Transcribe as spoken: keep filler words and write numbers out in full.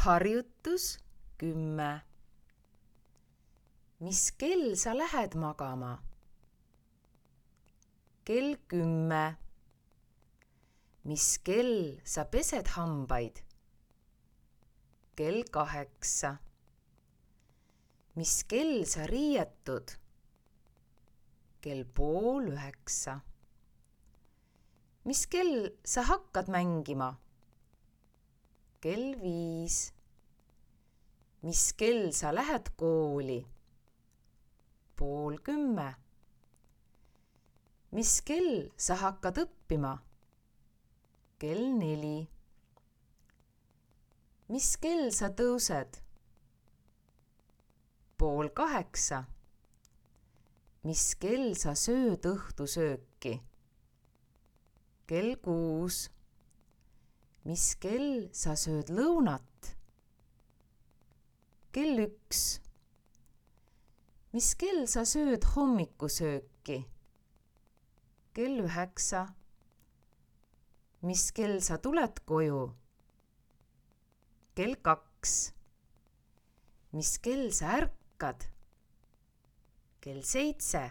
Harjutus kümme. Mis kell sa lähed magama? Kell kümme. Mis kell sa pesed hambaid? Kell kaheksa. Mis kell sa riietud? Kell pool üheksa. Mis kell sa hakkad mängima? Kell viis. Mis kell sa lähed kooli? Pool kümme. Mis kell sa hakkad õppima? Kell neli. Mis kell sa tõused? Pool kaheksa. Mis kell sa sööd õhtusööki? Kell kuus. Mis kell sa sööd lõunat? Kell üks. Mis kell sa sööd hommikusööki? Kell üheksa. Mis kell sa tuled koju? Kell kaks. Mis kell sa ärkad? Kell seitse.